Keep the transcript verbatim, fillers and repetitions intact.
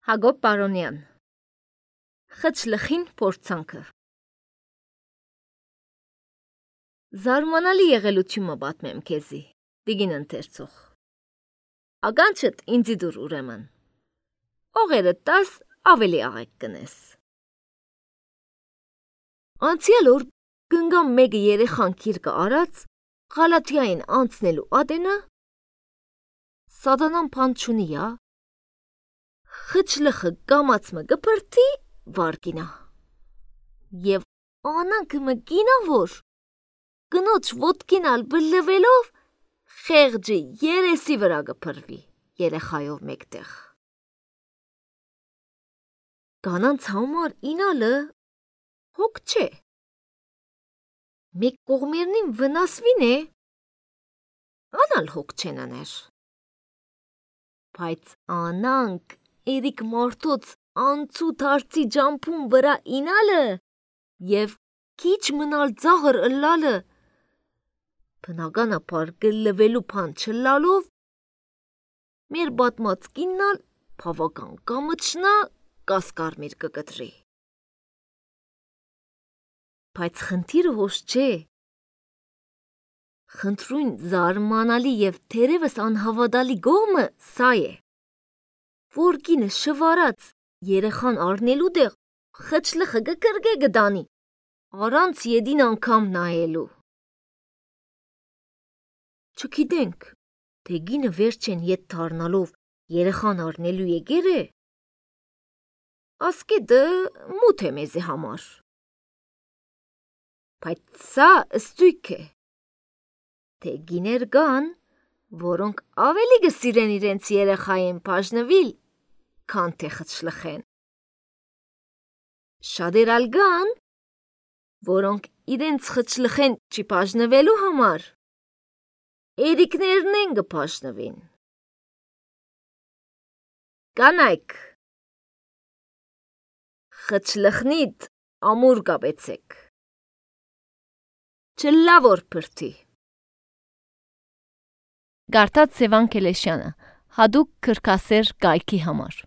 Հակոբ Պարոնյան Խճլխին փորձանքը Զարմանալի եղելությունը պատմեմ քեզի, դիգին ընթերցող։ Ականջդ ինձի դուր ուրեմն։ Օղերը տաս ավելի աղեկ կնես։ Անցյալ օր գնգամ մեկը երեխան քիրկը արած, Ղալաթիային անցնելու ադենը, սատանան փան չունի ա, խճլխը կամացմը գպրտի վարգինա, և անանքը մգինա որ, գնոջ ոտքինալ բլվելով, խեղջի երեսի վրա գպրվի երեխայով մեկտեղ։ Կանանց համար ինալը հոգ չէ, մեկ կողմերնին վնասվին է, անալ հոգ չեն աներ։ Բայց անանք երիկ մարդոց անցուտ հարցի ջամփուն վրա ինալը և քիչ մնալ ձաղր ըլլալը, բնականաբար գլվելու փան չլալով, մեր բատմած կիննալ բավական կամչնա կասկարմիր կկտրի։ Բայց խնդիրը հոս չէ, խնդրույն զարմանալի և թերևս անհավատալի գողմը սա է, որ կինը շվարած երեխան առնելու դեղ խճլխը գկրգե գդանի, առանց ետին անգամ նայելու։ Չգիտենք, թե գինը վերջեն ետ դառնալով երեխան առնելու եկեր է, ասկետը մութ է մեզի համար։ Բայց սա ըստույք է, թե գիներ կան, որոնք ավելի կսիրեն իրենց երեխային բաժնվել, քան թե խճլխեն։ Շատեր ալ կան, որոնք իրենց խճլխեն չբաժնվելու համար երիկներն են կբաժնվին։ Կանայք, խճլխնիդ ամուր կապեցեք, չլա որ փրթի։ Գարտած Սևան Քելեշյանը, հադուկ քրքասեր կայքի համար։